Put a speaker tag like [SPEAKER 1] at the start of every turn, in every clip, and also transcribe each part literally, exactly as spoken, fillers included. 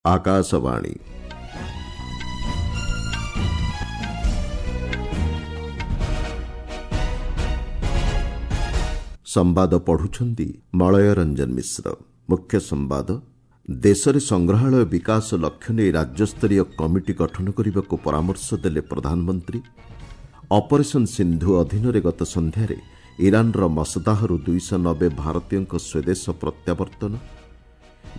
[SPEAKER 1] ଆକାଶବାଣୀ। ସମ୍ବାଦ ପଢୁଛନ୍ତି ମଳୟ ରଞ୍ଜନ ମିଶ୍ର। ମୁଖ୍ୟ ସମ୍ବାଦ, ଦେଶରେ ସଂଗ୍ରହାଳୟ ବିକାଶ ଲକ୍ଷ୍ୟ ନେଇ ରାଜ୍ୟସ୍ତରୀୟ କମିଟି ଗଠନ କରିବାକୁ ପରାମର୍ଶ ଦେଲେ ପ୍ରଧାନମନ୍ତ୍ରୀ। ଅପରେସନ୍ ସିନ୍ଧୁ ଅଧୀନରେ ଗତ ସନ୍ଧ୍ୟାରେ ଇରାନର ମସଦାହରୁ ଦୁଇଶହ ନବେ ଭାରତୀୟଙ୍କ ସ୍ୱଦେଶ ପ୍ରତ୍ୟାବର୍ତ୍ତନ।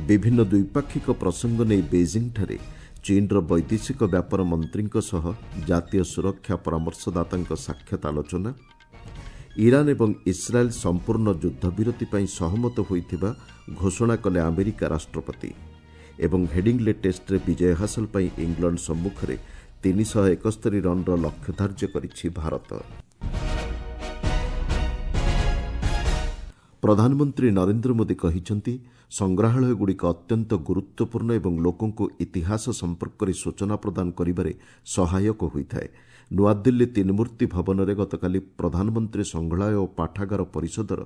[SPEAKER 1] ବିଭିନ୍ନ ଦ୍ୱିପାକ୍ଷିକ ପ୍ରସଙ୍ଗ ନେଇ ବେଜିଂଠାରେ ଚୀନର ବୈଦେଶିକ ବ୍ୟାପାର ମନ୍ତ୍ରୀଙ୍କ ସହ ଜାତୀୟ ସୁରକ୍ଷା ପରାମର୍ଶଦାତାଙ୍କ ସାକ୍ଷାତ ଆଲୋଚନା। ଇରାନ ଏବଂ ଇସ୍ରାଏଲ୍ ସମ୍ପୂର୍ଣ୍ଣ ଯୁଦ୍ଧବିରତି ପାଇଁ ସହମତ ହୋଇଥିବା ଘୋଷଣା କଲେ ଆମେରିକା ରାଷ୍ଟ୍ରପତି। ଏବଂ ହେଡିଂଲେ ଟେଷ୍ଟରେ ବିଜୟ ହାସଲ ପାଇଁ ଇଂଲଣ୍ଡ ସମ୍ମୁଖରେ ତିନିଶହ ଏକସ୍ତରୀ ରନ୍ର ଲକ୍ଷ୍ୟ ଧାର୍ଯ୍ୟ କରିଛି ଭାରତ। ପ୍ରଧାନମନ୍ତ୍ରୀ ନରେନ୍ଦ୍ର ମୋଦି କହିଛନ୍ତି, ସଂଗ୍ରହାଳୟଗୁଡ଼ିକ ଅତ୍ୟନ୍ତ ଗୁରୁତ୍ୱପୂର୍ଣ୍ଣ ଏବଂ ଲୋକଙ୍କୁ ଇତିହାସ ସମ୍ପର୍କରେ ସୂଚନା ପ୍ରଦାନ କରିବାରେ ସହାୟକ ହୋଇଥାଏ। ନୂଆଦିଲ୍ଲୀ ତିନିମୂର୍ତ୍ତି ଭବନରେ ଗତକାଲି ପ୍ରଧାନମନ୍ତ୍ରୀ ସଂଗ୍ରହାଳୟ ଓ ପାଠାଗାର ପରିଷଦର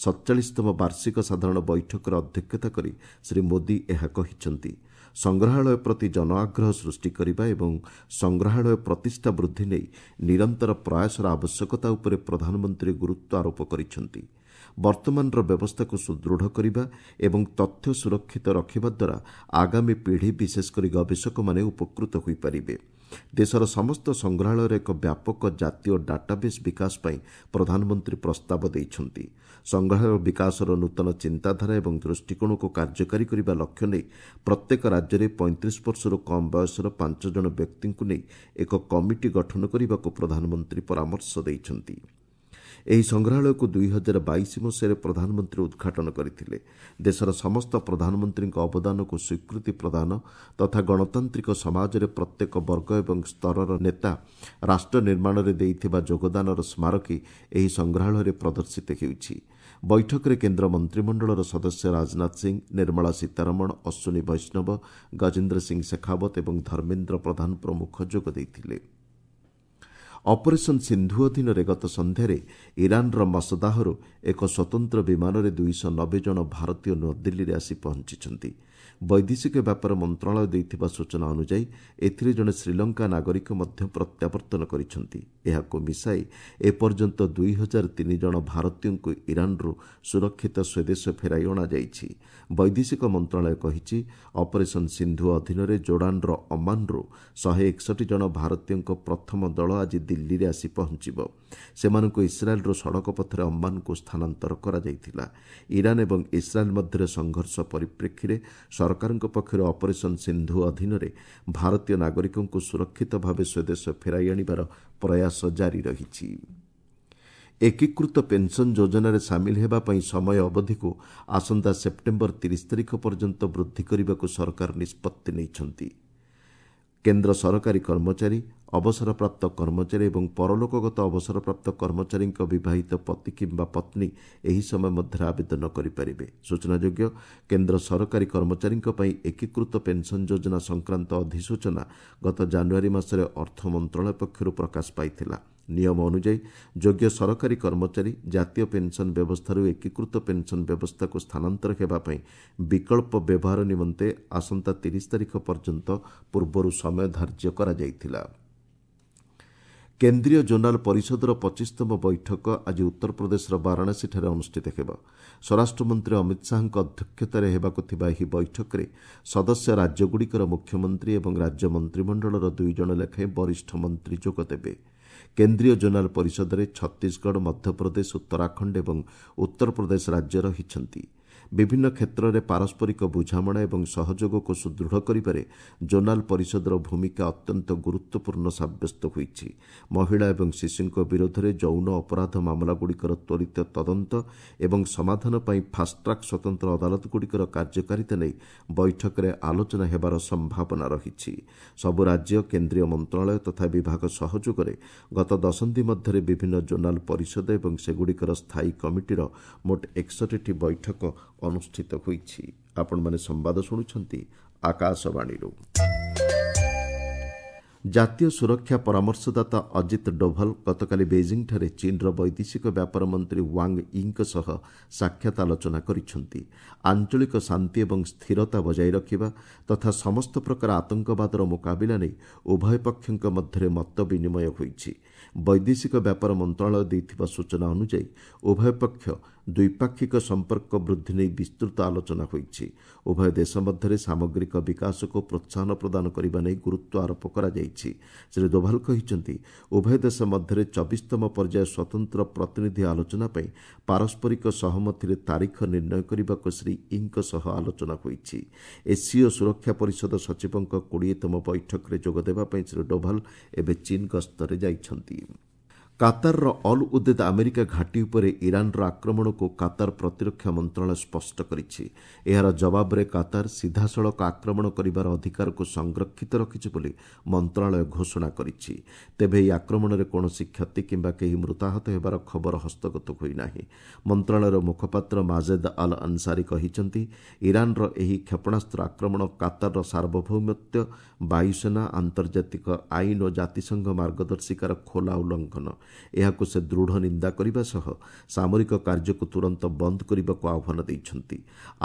[SPEAKER 1] ସତଚାଳିଶତମ ବାର୍ଷିକ ସାଧାରଣ ବୈଠକରେ ଅଧ୍ୟକ୍ଷତା କରି ଶ୍ରୀ ମୋଦି ଏହା କହିଛନ୍ତି। ସଂଗ୍ରହାଳୟ ପ୍ରତି ଜନଆଗ୍ରହ ସୃଷ୍ଟି କରିବା ଏବଂ ସଂଗ୍ରହାଳୟ ପ୍ରତିଷ୍ଠା ବୃଦ୍ଧି ନେଇ ନିରନ୍ତର ପ୍ରୟାସର ଆବଶ୍ୟକତା ଉପରେ ପ୍ରଧାନମନ୍ତ୍ରୀ ଗୁରୁତ୍ୱ ଆରୋପ କରିଛନ୍ତି। ବର୍ତ୍ତମାନର ବ୍ୟବସ୍ଥାକୁ ସୁଦୃଢ଼ କରିବା ଏବଂ ତଥ୍ୟ ସୁରକ୍ଷିତ ରଖିବା ଦ୍ୱାରା ଆଗାମୀ ପିଢ଼ି, ବିଶେଷକରି ଗବେଷକମାନେ ଉପକୃତ ହୋଇପାରିବେ। ଦେଶର ସମସ୍ତ ସଂଗ୍ରହାଳୟର ଏକ ବ୍ୟାପକ ଜାତୀୟ ଡାଟାବେସ୍ ବିକାଶ ପାଇଁ ପ୍ରଧାନମନ୍ତ୍ରୀ ପ୍ରସ୍ତାବ ଦେଇଛନ୍ତି। ସଂଗ୍ରହାଳୟ ବିକାଶର ନୂତନ ଚିନ୍ତାଧାରା ଏବଂ ଦୃଷ୍ଟିକୋଣକୁ କାର୍ଯ୍ୟକାରୀ କରିବା ଲକ୍ଷ୍ୟ ନେଇ ପ୍ରତ୍ୟେକ ରାଜ୍ୟରେ ପଇଁତିରିଶ ବର୍ଷରୁ କମ୍ ବୟସର ପାଞ୍ଚ ଜଣ ବ୍ୟକ୍ତିଙ୍କୁ ନେଇ ଏକ କମିଟି ଗଠନ କରିବାକୁ ପ୍ରଧାନମନ୍ତ୍ରୀ ପରାମର୍ଶ ଦେଇଛନ୍ତି। ଏହି ସଂଗ୍ରହାଳୟକୁ ଦୁଇ ହଜାର ବାଇଶ ମସିହାରେ ପ୍ରଧାନମନ୍ତ୍ରୀ ଉଦ୍ଘାଟନ କରିଥିଲେ। ଦେଶର ସମସ୍ତ ପ୍ରଧାନମନ୍ତ୍ରୀଙ୍କ ଅବଦାନକୁ ସ୍ୱୀକୃତି ପ୍ରଦାନ ତଥା ଗଣତାନ୍ତ୍ରିକ ସମାଜରେ ପ୍ରତ୍ୟେକ ବର୍ଗ ଏବଂ ସ୍ତରର ନେତା ରାଷ୍ଟ୍ର ନିର୍ମାଣରେ ଦେଇଥିବା ଯୋଗଦାନର ସ୍ମାରକୀ ଏହି ସଂଗ୍ରହାଳୟରେ ପ୍ରଦର୍ଶିତ ହେଉଛି। ବୈଠକରେ କେନ୍ଦ୍ର ମନ୍ତ୍ରିମଣ୍ଡଳର ସଦସ୍ୟ ରାଜନାଥ ସିଂ, ନିର୍ମଳା ସୀତାରମଣ, ଅଶ୍ୱିନୀ ବୈଷ୍ଣବ, ଗଜେନ୍ଦ୍ର ସିଂ ଶେଖାବତ ଏବଂ ଧର୍ମେନ୍ଦ୍ର ପ୍ରଧାନ ପ୍ରମୁଖ ଯୋଗ ଦେଇଥିଲେ। ଅପରେସନ୍ ସିନ୍ଧୁ ଅଧୀନରେ ଗତ ସନ୍ଧ୍ୟାରେ ଇରାନର ମସଦାହରୁ ଏକ ସ୍ୱତନ୍ତ୍ର ବିମାନରେ ଦୁଇଶହ ନବେ ଜଣ ଭାରତୀୟ ନୂଆଦିଲ୍ଲୀରେ ଆସି ପହଞ୍ଚିଛନ୍ତି। ବୈଦେଶିକ ବ୍ୟାପାର ମନ୍ତ୍ରଣାଳୟ ଦେଇଥିବା ସୂଚନା ଅନୁଯାୟୀ ଏଥିରେ ଜଣେ ଶ୍ରୀଲଙ୍କା ନାଗରିକ ମଧ୍ୟ ପ୍ରତ୍ୟାବର୍ତ୍ତନ କରିଛନ୍ତି। ଏହାକୁ ମିଶାଇ ଏପର୍ଯ୍ୟନ୍ତ ଦୁଇ ହଜାର ତିନି ଜଣ ଭାରତୀୟଙ୍କୁ ଇରାନରୁ ସୁରକ୍ଷିତ ସ୍ୱଦେଶ ଫେରାଇ ଅଣାଯାଇଛି। ବୈଦେଶିକ ମନ୍ତ୍ରଣାଳୟ କହିଛି, ଅପରେସନ୍ ସିନ୍ଧୁ ଅଧୀନରେ ଜୋର୍ଡାନର ଅମାନରୁ ଶହେ ଏକଷଠି ଜଣ ଭାରତୀୟଙ୍କ ପ୍ରଥମ ଦଳ ଆଜି ଦିଲ୍ଲୀରେ ଆସି ପହଞ୍ଚିବ। ସେମାନଙ୍କୁ ଇସ୍ରାଏଲ୍ରୁ ସଡ଼କ ପଥରେ ଅମ୍ମାନକୁ ସ୍ଥାନାନ୍ତର କରାଯାଇଥିଲା। ଇରାନ ଏବଂ ଇସ୍ରାଏଲ୍ ମଧ୍ୟରେ ସଂଘର୍ଷ ପରିପ୍ରେକ୍ଷୀରେ ସରକାରଙ୍କ ପକ୍ଷରୁ ଅପରେସନ୍ ସିନ୍ଧୁ ଅଧୀନରେ ଭାରତୀୟ ନାଗରିକଙ୍କୁ ସୁରକ୍ଷିତ ଭାବେ ସ୍ୱଦେଶ ଫେରାଇ ଆଣିବାର ପ୍ରୟାସ ଜାରି ରହିଛି। ଏକୀକୃତ ପେନ୍ସନ୍ ଯୋଜନାରେ ସାମିଲ ହେବା ପାଇଁ ସମୟ ଅବଧିକୁ ଆସନ୍ତା ସେପ୍ଟେମ୍ବର ତିରିଶ ତାରିଖ ପର୍ଯ୍ୟନ୍ତ ବୃଦ୍ଧି କରିବାକୁ ସରକାର ନିଷ୍ପତ୍ତି ନେଇଛନ୍ତି। କେନ୍ଦ୍ର ସରକାରୀ କର୍ମଚାରୀ, ଅବସରପ୍ରାପ୍ତ କର୍ମଚାରୀ ଏବଂ ପରଲୋକଗତ ଅବସରପ୍ରାପ୍ତ କର୍ମଚାରୀଙ୍କ ବିବାହିତ ପତି କିମ୍ବା ପତ୍ନୀ ଏହି ସମୟ ମଧ୍ୟରେ ଆବେଦନ କରିପାରିବେ। ସୂଚନାଯୋଗ୍ୟ, କେନ୍ଦ୍ର ସରକାରୀ କର୍ମଚାରୀଙ୍କ ପାଇଁ ଏକୀକୃତ ପେନ୍ସନ୍ ଯୋଜନା ସଂକ୍ରାନ୍ତ ଅଧିସୂଚନା ଗତ ଜାନୁଆରୀ ମାସରେ ଅର୍ଥ ମନ୍ତ୍ରଣାଳୟ ପକ୍ଷରୁ ପ୍ରକାଶ ପାଇଥିଲା। ନିୟମ ଅନୁଯାୟୀ ଯୋଗ୍ୟ ସରକାରୀ କର୍ମଚାରୀ ଜାତୀୟ ପେନ୍ସନ୍ ବ୍ୟବସ୍ଥାରୁ ଏକୀକୃତ ପେନ୍ସନ୍ ବ୍ୟବସ୍ଥାକୁ ସ୍ଥାନାନ୍ତର ହେବା ପାଇଁ ବିକଳ୍ପ ବ୍ୟବହାର ନିମନ୍ତେ ଆସନ୍ତା ତିରିଶ ତାରିଖ ପର୍ଯ୍ୟନ୍ତ ପୂର୍ବରୁ ସମୟ ଧାର୍ଯ୍ୟ କରାଯାଇଥିଲା। କେନ୍ଦ୍ରୀୟ ଜୋନାଲ ପରିଷଦର ପଚିଶତମ ବୈଠକ ଆଜି ଉତ୍ତରପ୍ରଦେଶର ବାରାଣସୀଠାରେ ଅନୁଷ୍ଠିତ ହେବ। ସ୍ୱରାଷ୍ଟ୍ରମନ୍ତ୍ରୀ ଅମିତ ଶାହାଙ୍କ ଅଧ୍ୟକ୍ଷତାରେ ହେବାକୁ ଥିବା ଏହି ବୈଠକରେ ସଦସ୍ୟ ରାଜ୍ୟଗୁଡ଼ିକର ମୁଖ୍ୟମନ୍ତ୍ରୀ ଏବଂ ରାଜ୍ୟ ମନ୍ତ୍ରିମଣ୍ଡଳର ଦୁଇ ଜଣ ଲେଖାଏଁ ବରିଷ୍ଠ ମନ୍ତ୍ରୀ ଯୋଗଦେବେ। କେନ୍ଦ୍ରୀୟ ଜୋନାଲ ପରିଷଦରେ ଛତିଶଗଡ଼, ମଧ୍ୟପ୍ରଦେଶ, ଉତ୍ତରାଖଣ୍ଡ ଏବଂ ଉତ୍ତରପ୍ରଦେଶ ରାଜ୍ୟ ରହିଛନ୍ତି। ବିଭିନ୍ନ କ୍ଷେତ୍ରରେ ପାରସ୍ପରିକ ବୁଝାମଣା ଏବଂ ସହଯୋଗକୁ ସୁଦୃଢ଼ କରିବାରେ ଜୋନାଲ ପରିଷଦର ଭୂମିକା ଅତ୍ୟନ୍ତ ଗୁରୁତ୍ୱପୂର୍ଣ୍ଣ ସାବ୍ୟସ୍ତ ହୋଇଛି। ମହିଳା ଏବଂ ଶିଶୁଙ୍କ ବିରୋଧରେ ଯୌନ ଅପରାଧ ମାମଲାଗୁଡ଼ିକର ତ୍ୱରିତ ତଦନ୍ତ ଏବଂ ସମାଧାନ ପାଇଁ ଫାଷ୍ଟଟ୍ରାକ୍ ସ୍ୱତନ୍ତ୍ର ଅଦାଲତଗୁଡ଼ିକର କାର୍ଯ୍ୟକାରିତା ନେଇ ବୈଠକରେ ଆଲୋଚନା ହେବାର ସମ୍ଭାବନା ରହିଛି। ସବୁ ରାଜ୍ୟ, କେନ୍ଦ୍ରୀୟ ମନ୍ତ୍ରଣାଳୟ ତଥା ବିଭାଗ ସହଯୋଗରେ ଗତ ଦଶନ୍ଧି ମଧ୍ୟରେ ବିଭିନ୍ନ ଜୋନାଲ ପରିଷଦ ଏବଂ ସେଗୁଡ଼ିକର ସ୍ଥାୟୀ କମିଟିର ମୋଟ ଏକଷଠିଟି ବୈଠକ ଅନୁଷ୍ଠିତ ହୋଇଛି। ଆପଣମାନେ ସମ୍ବାଦ ଶୁଣୁଛନ୍ତି ଆକାଶବାଣୀରୁ। ଜାତୀୟ ସୁରକ୍ଷା ପରାମର୍ଶଦାତା ଅଜିତ ଡୋଭାଲ ଗତକାଲି ବେଇଜିଂଠାରେ ଚୀନ୍ର ବୈଦେଶିକ ବ୍ୟାପାର ମନ୍ତ୍ରୀ ୱାଙ୍ଗ ୟିଙ୍କ ସହ ସାକ୍ଷାତ ଆଲୋଚନା କରିଛନ୍ତି। ଆଞ୍ଚଳିକ ଶାନ୍ତି ଏବଂ ସ୍ଥିରତା ବଜାୟ ରଖିବା ତଥା ସମସ୍ତ ପ୍ରକାର ଆତଙ୍କବାଦର ମୁକାବିଲା ନେଇ ଉଭୟ ପକ୍ଷଙ୍କ ମଧ୍ୟରେ ମତ ବିନିମୟ ହୋଇଛି। ବୈଦେଶିକ ବ୍ୟାପାର ମନ୍ତ୍ରଣାଳୟ ଦେଇଥିବା ସୂଚନା ଅନୁଯାୟୀ ଉଭୟ ପକ୍ଷ ଦ୍ୱିପାକ୍ଷିକ ସମ୍ପର୍କ ବୃଦ୍ଧି ନେଇ ବିସ୍ତୃତ ଆଲୋଚନା ହୋଇଛି। ଉଭୟ ଦେଶ ମଧ୍ୟରେ ସାମଗ୍ରିକ ବିକାଶକୁ ପ୍ରୋତ୍ସାହନ ପ୍ରଦାନ କରିବା ନେଇ ଗୁରୁତ୍ୱ ଆରୋପ କରାଯାଇଛି। ଶ୍ରୀ ଦୋଭାଲ କହିଛନ୍ତି, ଉଭୟ ଦେଶ ମଧ୍ୟରେ ଚବିଶତମ ପର୍ଯ୍ୟାୟ ସ୍ୱତନ୍ତ୍ର ପ୍ରତିନିଧି ଆଲୋଚନା ପାଇଁ ପାରସ୍ପରିକ ସହମତିରେ ତାରିଖ ନିର୍ଣ୍ଣୟ କରିବାକୁ ଶ୍ରୀ ୟିଙ୍କ ସହ ଆଲୋଚନା ହୋଇଛି। ଏସ୍ସିଓ ସୁରକ୍ଷା ପରିଷଦ ସଚିବଙ୍କ କୋଡ଼ିଏତମ ବୈଠକରେ ଯୋଗଦେବା ପାଇଁ ଶ୍ରୀ ଡୋଭାଲ ଏବେ ଚୀନ୍ ଗସ୍ତରେ ଯାଇଛନ୍ତି। କାତାରର ଅଲ୍ ଉଦେଦ୍ ଆମେରିକା ଘାଟି ଉପରେ ଇରାନର ଆକ୍ରମଣକୁ କାତାର ପ୍ରତିରକ୍ଷା ମନ୍ତ୍ରଣାଳୟ ସ୍ପଷ୍ଟ କରିଛି। ଏହାର ଜବାବରେ କାତାର ସିଧାସଳଖ ଆକ୍ରମଣ କରିବାର ଅଧିକାରକୁ ସଂରକ୍ଷିତ ରଖିଛି ବୋଲି ମନ୍ତ୍ରଣାଳୟ ଘୋଷଣା କରିଛି। ତେବେ ଏହି ଆକ୍ରମଣରେ କୌଣସି କ୍ଷତି କିମ୍ବା କେହି ମୃତାହତ ହେବାର ଖବର ହସ୍ତଗତ ହୋଇନାହିଁ। ମନ୍ତ୍ରଣାଳୟର ମୁଖପାତ୍ର ମାଜେଦ ଅଲ୍ ଅନସାରୀ କହିଛନ୍ତି, ଇରାନର ଏହି କ୍ଷେପଣାସ୍ତ୍ର ଆକ୍ରମଣ କାତାରର ସାର୍ବଭୌମତ୍ୱ, ବାୟୁସେନା, ଆନ୍ତର୍ଜାତିକ ଆଇନ ଓ ଜାତିସଂଘ ମାର୍ଗଦର୍ଶିକାର ଖୋଲା ଉଲ୍ଲଂଘନ। ଏହାକୁ ସେ ଦୃଢ଼ ନିନ୍ଦା କରିବା ସହ ସାମରିକ କାର୍ଯ୍ୟକୁ ତୁରନ୍ତ ବନ୍ଦ କରିବାକୁ ଆହ୍ୱାନ ଦେଇଛନ୍ତି।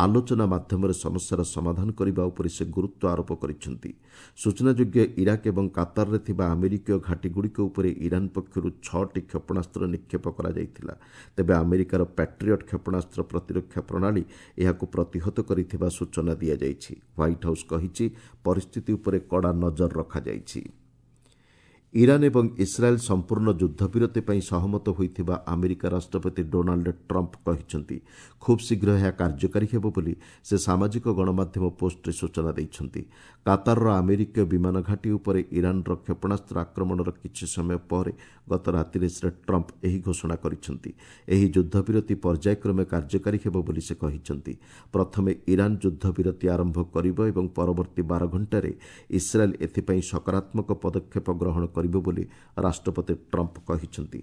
[SPEAKER 1] ଆଲୋଚନା ମାଧ୍ୟମରେ ସମସ୍ୟାର ସମାଧାନ କରିବା ଉପରେ ସେ ଗୁରୁତ୍ୱ ଆରୋପ କରିଛନ୍ତି। ସୂଚନାଯୋଗ୍ୟ, ଇରାକ ଏବଂ କାତାରରେ ଥିବା ଆମେରିକୀୟ ଘାଟିଗୁଡ଼ିକ ଉପରେ ଇରାନ ପକ୍ଷରୁ ଛଅଟି କ୍ଷେପଣାସ୍ତ୍ର ନିକ୍ଷେପ କରାଯାଇଥିଲା। ତେବେ ଆମେରିକାର ପ୍ୟାଟ୍ରିଅଟ୍ କ୍ଷେପଣାସ୍ତ୍ର ପ୍ରତିରକ୍ଷା ପ୍ରଣାଳୀ ଏହାକୁ ପ୍ରତିହତ କରିଥିବା ସୂଚନା ଦିଆଯାଇଛି। ହ୍ୱାଇଟ୍ ହାଉସ୍ କହିଛି, ପରିସ୍ଥିତି ଉପରେ କଡ଼ା ନଜର ରଖାଯାଇଛି। ଇରାନ ଏବଂ ଇସ୍ରାଏଲ୍ ସମ୍ପୂର୍ଣ୍ଣ ଯୁଦ୍ଧବିରତି ପାଇଁ ସହମତ ହୋଇଥିବା ଆମେରିକା ରାଷ୍ଟ୍ରପତି ଡୋନାଲ୍ଡ ଟ୍ରମ୍ପ କହିଛନ୍ତି। ଖୁବ୍ ଶୀଘ୍ର ଏହା କାର୍ଯ୍ୟକାରୀ ହେବ ବୋଲି ସେ ସାମାଜିକ ଗଣମାଧ୍ୟମ ପୋଷ୍ଟରେ ସୂଚନା ଦେଇଛନ୍ତି। କାତାରର ଆମେରିକୀୟ ବିମାନ ଘାଟି ଉପରେ ଇରାନର କ୍ଷେପଣାସ୍ତ୍ର ଆକ୍ରମଣର କିଛି ସମୟ ପରେ ଗତ ରାତିରେ ଶ୍ରୀ ଟ୍ରମ୍ପ ଏହି ଘୋଷଣା କରିଛନ୍ତି। ଏହି ଯୁଦ୍ଧବିରତି ପର୍ଯ୍ୟାୟକ୍ରମେ କାର୍ଯ୍ୟକାରୀ ହେବ ବୋଲି ସେ କହିଛନ୍ତି। ପ୍ରଥମେ ଇରାନ ଯୁଦ୍ଧବିରତି ଆରମ୍ଭ କରିବ ଏବଂ ପରବର୍ତ୍ତୀ ବାର ଘଣ୍ଟାରେ ଇସ୍ରାଏଲ୍ ଏଥିପାଇଁ ସକାରାତ୍ମକ ପଦକ୍ଷେପ ଗ୍ରହଣ କରିବ ବୋଲି ରାଷ୍ଟ୍ରପତି ଟ୍ରମ୍ପ କହିଛନ୍ତି।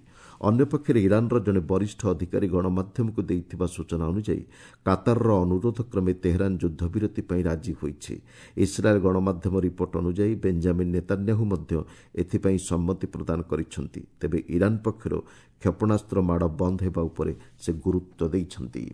[SPEAKER 1] ଅନ୍ୟପକ୍ଷରେ ଇରାନର ଜଣେ ବରିଷ୍ଠ ଅଧିକାରୀ ଗଣମାଧ୍ୟମକୁ ଦେଇଥିବା ସୂଚନା ଅନୁଯାୟୀ କାତାରର ଅନୁରୋଧ କ୍ରମେ ତେହେରାନ ଯୁଦ୍ଧବିରତି ପାଇଁ ରାଜି ହୋଇଛି। ଇସ୍ରାଏଲ୍ ଗଣମାଧ୍ୟମ ରିପୋର୍ଟ ଅନୁଯାୟୀ ବେଞ୍ଜାମିନ୍ ନେତାନ୍ୟାହୁ ମଧ୍ୟ ଏଥିପାଇଁ ସମ୍ମତି ପ୍ରଦାନ କରିଛନ୍ତି। ତେବେ ଇରାନ ପକ୍ଷରୁ କ୍ଷେପଣାସ୍ତ୍ର ମାଡ଼ ବନ୍ଦ ହେବା ଉପରେ ସେ ଗୁରୁତ୍ୱ ଦେଇଛନ୍ତି।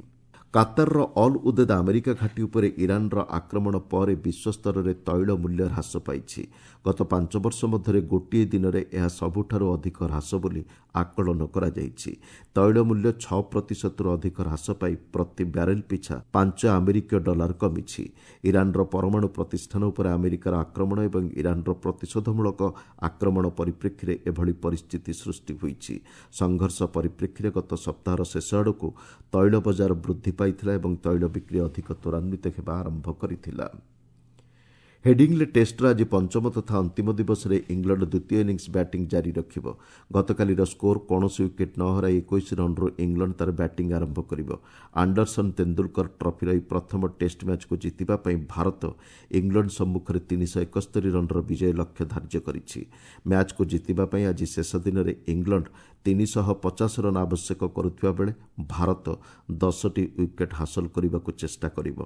[SPEAKER 1] କାତାରର ଅଲ୍ ଉଦେଦ୍ ଆମେରିକା ଘାଟି ଉପରେ ଇରାନର ଆକ୍ରମଣ ପରେ ବିଶ୍ୱସ୍ତରରେ ତୈଳ ମୂଲ୍ୟ ହ୍ରାସ ପାଇଛି। ଗତ ପାଞ୍ଚ ବର୍ଷ ମଧ୍ୟରେ ଗୋଟିଏ ଦିନରେ ଏହା ସବୁଠାରୁ ଅଧିକ ହ୍ରାସ ବୋଲି ଆକଳନ କରାଯାଇଛି। ତୈଳ ମୂଲ୍ୟ ଛଅ ପ୍ରତିଶତରୁ ଅଧିକ ହ୍ରାସ ପାଇ ପ୍ରତି ବ୍ୟାରେଲ ପିଛା ପାଞ୍ଚ ଆମେରିକୀୟ ଡଲାର କମିଛି। ଇରାନର ପରମାଣୁ ପ୍ରତିଷ୍ଠାନ ଉପରେ ଆମେରିକାର ଆକ୍ରମଣ ଏବଂ ଇରାନର ପ୍ରତିଶୋଧମୂଳକ ଆକ୍ରମଣ ପରିପ୍ରେକ୍ଷୀରେ ଏଭଳି ପରିସ୍ଥିତି ସୃଷ୍ଟି ହୋଇଛି। ସଂଘର୍ଷ ପରିପ୍ରେକ୍ଷୀରେ ଗତ ସପ୍ତାହର ଶେଷ ଆଡ଼କୁ ତୈଳ ବଜାର ବୃଦ୍ଧି ପାଇଥିଲା ଏବଂ ତୈଳ ବିକ୍ରି ଅଧିକ ତ୍ୱରାନ୍ୱିତ ହେବା ଆରମ୍ଭ କରିଥିଲା। ହେଡିଂଲେ ଟେଷ୍ଟର ଆଜି ପଞ୍ଚମ ତଥା ଅନ୍ତିମ ଦିବସରେ ଇଂଲଣ୍ଡ ଦ୍ୱିତୀୟ ଇନିଂସ ବ୍ୟାଟିଂ ଜାରି ରଖିବ। ଗତକାଲିର ସ୍କୋର କୌଣସି ୱିକେଟ୍ ନ ହରାଇ ଏକୋଇଶ ରନ୍ରୁ ଇଂଲଣ୍ଡ ତା'ର ବ୍ୟାଟିଂ ଆରମ୍ଭ କରିବ। ଆଣ୍ଡରସନ୍ ତେନ୍ଦୁଲକର ଟ୍ରଫିର ଏହି ପ୍ରଥମ ଟେଷ୍ଟ ମ୍ୟାଚ୍କୁ ଜିତିବା ପାଇଁ ଭାରତ ଇଂଲଣ୍ଡ ସମ୍ମୁଖରେ ତିନିଶହ ଏକସ୍ତରୀ ରନ୍ର ବିଜୟ ଲକ୍ଷ୍ୟ ଧାର୍ଯ୍ୟ କରିଛି। ମ୍ୟାଚ୍କୁ ଜିତିବା ପାଇଁ ଆଜି ଶେଷ ଦିନରେ ଇଂଲଣ୍ଡ ତିନିଶହ ପଚାଶ ରନ୍ ଆବଶ୍ୟକ କରୁଥିବା ବେଳେ ଭାରତ ଦଶଟି ୱିକେଟ୍ ହାସଲ କରିବାକୁ ଚେଷ୍ଟା କରିବ।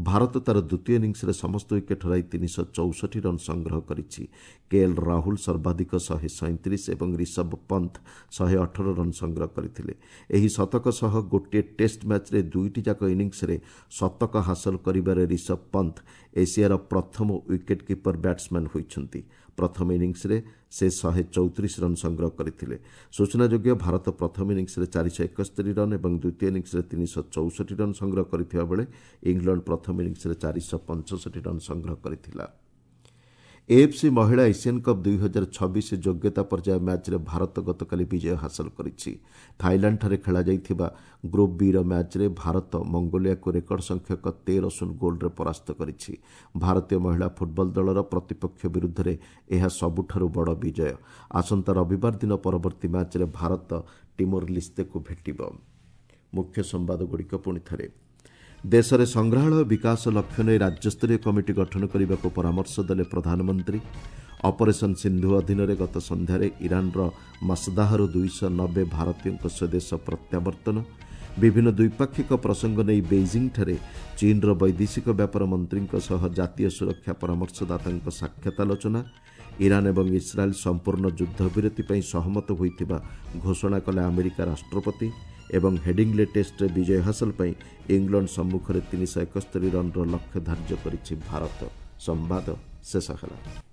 [SPEAKER 1] ଭାରତ ତା'ର ଦ୍ୱିତୀୟ ଇନିଂସରେ ସମସ୍ତ ୱିକେଟ୍ ହରାଇ ତିନିଶହ ଚଉଷଠି ରନ୍ ସଂଗ୍ରହ କରିଛି। କେଏଲ୍ ରାହୁଲ ସର୍ବାଧିକ ଶହେ ସଇଁତିରିଶ ଏବଂ ରିଷଭ ପନ୍ଥ ଶହେ ଅଠର ରନ୍ ସଂଗ୍ରହ କରିଥିଲେ। ଏହି ଶତକ ସହ ଗୋଟିଏ ଟେଷ୍ଟ ମ୍ୟାଚ୍ରେ ଦୁଇଟି ଯାକ ଇନିଂସରେ ଶତକ ହାସଲ କରିବାରେ ରିଷଭ ପନ୍ଥ ଏସିଆର ପ୍ରଥମ ୱିକେଟ୍ କିପର ବ୍ୟାଟ୍ସମ୍ୟାନ୍ ହୋଇଛନ୍ତି। ପ୍ରଥମ ଇନିଂସରେ ସେ ଶହେ ଚଉତିରିଶ ରନ୍ ସଂଗ୍ରହ କରିଥିଲେ। ସୂଚନାଯୋଗ୍ୟ, ଭାରତ ପ୍ରଥମ ଇନିଂସରେ ଚାରିଶହ ଏକସ୍ତରୀ ରନ୍ ଏବଂ ଦ୍ୱିତୀୟ ଇନିଂସରେ ତିନିଶହ ଚଉଷଠି ରନ୍ ସଂଗ୍ରହ କରିଥିବା ବେଳେ ଇଂଲଣ୍ଡ ପ୍ରଥମ ଇନିଂସରେ ଚାରିଶହ ପଞ୍ଚଷଠି ରନ୍ ସଂଗ୍ରହ କରିଥିଲା। ଏଏଫ୍ସି ମହିଳା ଏସିଆନ୍ କପ୍ ଦୁଇ ହଜାର ଛବିଶ ଯୋଗ୍ୟତା ପର୍ଯ୍ୟାୟ ମ୍ୟାଚ୍ରେ ଭାରତ ଗତକାଲି ବିଜୟ ହାସଲ କରିଛି। ଥାଇଲାଣ୍ଡଠାରେ ଖେଳାଯାଇଥିବା ଗ୍ରୁପ୍ ବିର ମ୍ୟାଚ୍ରେ ଭାରତ ମଙ୍ଗୋଲିଆକୁ ରେକର୍ଡ ସଂଖ୍ୟକ ତେର ଶୂନ ଗୋଲ୍ରେ ପରାସ୍ତ କରିଛି। ଭାରତୀୟ ମହିଳା ଫୁଟବଲ ଦଳର ପ୍ରତିପକ୍ଷ ବିରୁଦ୍ଧରେ ଏହା ସବୁଠାରୁ ବଡ଼ ବିଜୟ। ଆସନ୍ତା ରବିବାର ଦିନ ପରବର୍ତ୍ତୀ ମ୍ୟାଚ୍ରେ ଭାରତ ଟିମୋର ଲିସ୍ତେକୁ ଭେଟିବ। ମୁଖ୍ୟ ସମ୍ବାଦଗୁଡ଼ିକ ପୁଣି ଥରେ। ଦେଶରେ ସଂଗ୍ରହାଳୟ ବିକାଶ ଲକ୍ଷ୍ୟ ନେଇ ରାଜ୍ୟସ୍ତରୀୟ କମିଟି ଗଠନ କରିବାକୁ ପରାମର୍ଶ ଦେଲେ ପ୍ରଧାନମନ୍ତ୍ରୀ। ଅପରେସନ୍ ସିନ୍ଧୁ ଅଧୀନରେ ଗତ ସନ୍ଧ୍ୟାରେ ଇରାନର ମସଦାହରୁ ଦୁଇଶହ ନବେ ଭାରତୀୟଙ୍କ ସ୍ୱଦେଶ ପ୍ରତ୍ୟାବର୍ତ୍ତନ। ବିଭିନ୍ନ ଦ୍ୱିପାକ୍ଷିକ ପ୍ରସଙ୍ଗ ନେଇ ବେଇଜିଂଠାରେ ଚୀନ୍ର ବୈଦେଶିକ ବ୍ୟାପାର ମନ୍ତ୍ରୀଙ୍କ ସହ ଜାତୀୟ ସୁରକ୍ଷା ପରାମର୍ଶଦାତାଙ୍କ ସାକ୍ଷାତ ଆଲୋଚନା। ଇରାନ୍ ଏବଂ ଇସ୍ରାଏଲ୍ ସମ୍ପୂର୍ଣ୍ଣ ଯୁଦ୍ଧବିରତି ପାଇଁ ସହମତ ହୋଇଥିବା ଘୋଷଣା କଲେ ଆମେରିକା ରାଷ୍ଟ୍ରପତି ଏବଂ ହେଡିଂଲେ ଟେଷ୍ଟରେ ବିଜୟ ହାସଲ ପାଇଁ ଇଂଲଣ୍ଡ ସମ୍ମୁଖରେ ତିନିଶହ ଏକସ୍ତରୀ ରନ୍ର ଲକ୍ଷ୍ୟ ଧାର୍ଯ୍ୟ କରିଛି ଭାରତ। ସମ୍ବାଦ ଶେଷ ହେଲା।